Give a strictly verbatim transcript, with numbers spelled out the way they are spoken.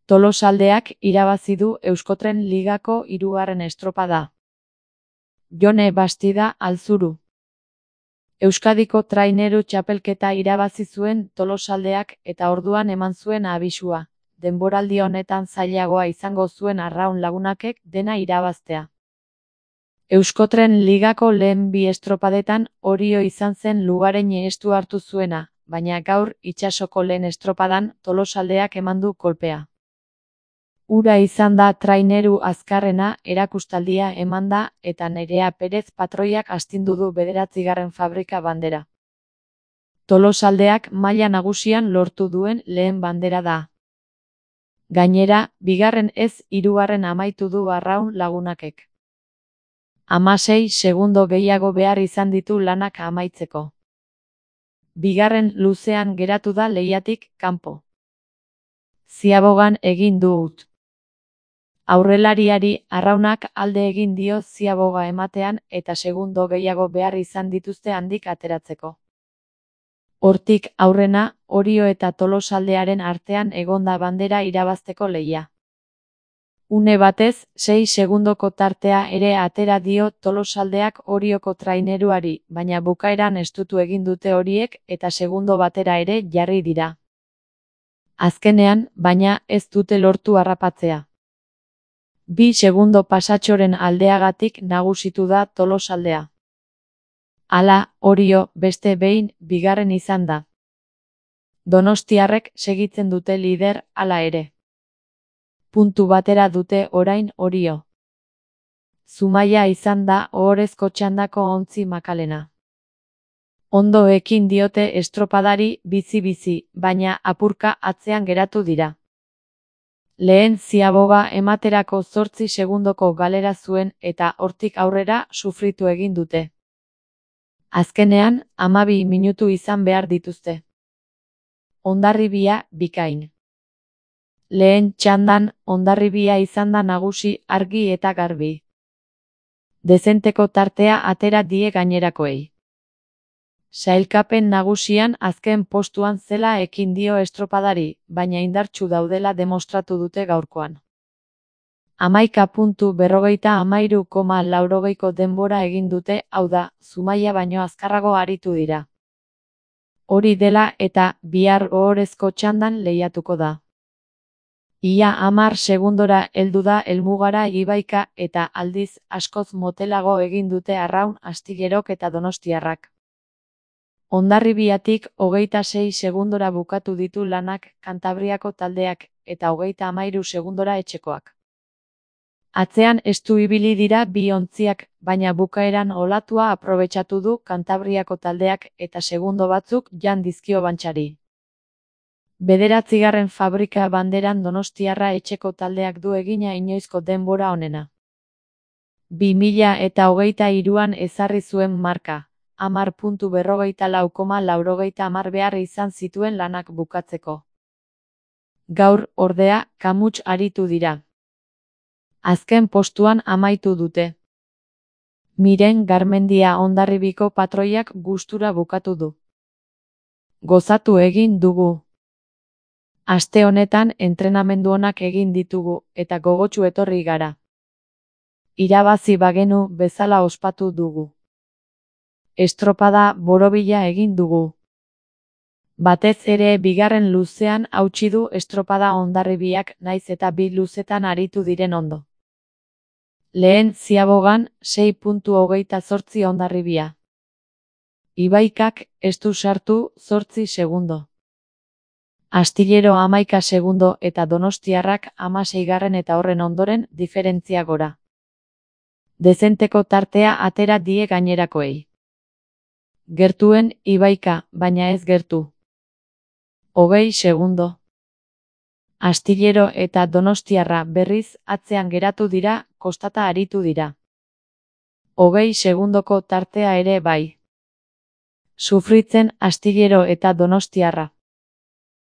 Tolosaldeak irabazi du Euskotren Ligako hirugarren estropada. Jone Bastida Altzuru. Euskadiko Traineru Txapelketa irabazi zuen Tolosaldeak eta orduan eman zuen abisua. Denboraldi honetan zailagoa izango zuen Arraun Lagunakek dena irabaztea. Euskotren Ligako lehen bi estropadetan Orio izan zen lugaren estu hartu zuena, baina gaur itsasoko lehen estropadan Tolosaldeak eman du kolpea. Ura izan da traineru azkarrena, erakustaldia eman da eta Nerea Perez patroiak astindu du bederatzigarren fabrika bandera. Tolosaldeak maila nagusian lortu duen lehen bandera da. Gainera, bigarren ez hirugarren amaitu du Arraun Lagunakek. Hamasei segundo gehiago behar izan ditu lanak amaitzeko. Bigarren luzean geratu da lehiatik kanpo. Ziabogan egin dut. Aurrelariari Arraunak alde egin dio ziaboga ematean eta segundo gehiago behar izan dituzte handik ateratzeko. Hortik aurrena, Orio eta Tolosaldearen artean egonda bandera irabazteko lehia. Une batez, sei segundoko tartea ere atera dio Tolosaldeak Orioko traineruari, baina bukaeran estutu egin dute horiek eta segundo batera ere jarri dira. Azkenean, baina, ez dute lortu harrapatzea. Bi segundo pasatxoren aldeagatik nagusitu da Tolosaldea. Hala, Orio, beste behin, bigarren izan da. Donostiarrek segitzen dute lider, hala ere. Puntu batera dute orain Orio. Zumaia izan da ohorezko txandako ontzi makalena. Ondo ekin diote estropadari bizi-bizi, baina apurka atzean geratu dira. Lehen ziaboga ematerako zortzi segundoko galera zuen eta hortik aurrera sufritu egin dute. Azkenean, hamabi minutu izan behar dituzte. Hondarribia bikain. Lehen txandan, Hondarribia izan da nagusi argi eta garbi. Dezenteko tartea atera die gainerakoei. Sailkapen nagusian azken postuan zela ekin dio estropadari, baina indartsu daudela demostratu dute gaurkoan. Hamaika puntu berrogeita hamairu koma laurogeiko denbora egin dute, hau da, Zumaia baino azkarrago aritu dira. Hori dela eta bihar ohorezko txandan lehiatuko da. Ia hamar segundora heldu da helmugara Ibaika eta aldiz askoz motelago egin dute Arraun, Astillerok eta Donostiarrak. Hondarribiatik hogeita sei segundora bukatu ditu lanak Kantabriako taldeak eta hogeita hamairu segundora etxekoak. Atzean estu ibili dira bi ontziak, baina bukaeran olatua aprobetxatu du Kantabriako taldeak eta segundo batzuk jan dizkio bantxari. Bederatzigarren fabrika banderan Donostiarra etxeko taldeak du egina inoizko denbora onena. Bi mila eta hogeita hiruan ezarri zuen marka. Hamar puntu berrogeita lau koma laurogeita hamar behar izan zituen lanak bukatzeko. Gaur, ordea, kamuts aritu dira. Azken postuan amaitu dute. Miren Garmendia Hondarribiko patroiak gustura bukatu du. Gozatu egin dugu. Aste honetan entrenamendu onak egin ditugu eta gogotsu etorri gara. Irabazi bagenu bezala ospatu dugu. Estropada borobila egin dugu. Batez ere bigarren luzean hautsi du estropada Hondarribiak naiz eta bi luzetan aritu diren ondo. Lehen ziabogan sei puntu hogeita zortzi Hondarribia. Ibaikak ez du sartu zortzi segundo. Astillero hamaika segundo eta Donostiarrak hamaseigarren eta horren ondoren diferentzia gora. Dezenteko tartea atera die gainerakoei. Gertuen Ibaika, baina ez gertu. Hogei segundo. Astillero eta Donostiarra berriz atzean geratu dira, kostata aritu dira. Hogei segundoko tartea ere bai. Sufritzen Astillero eta Donostiarra.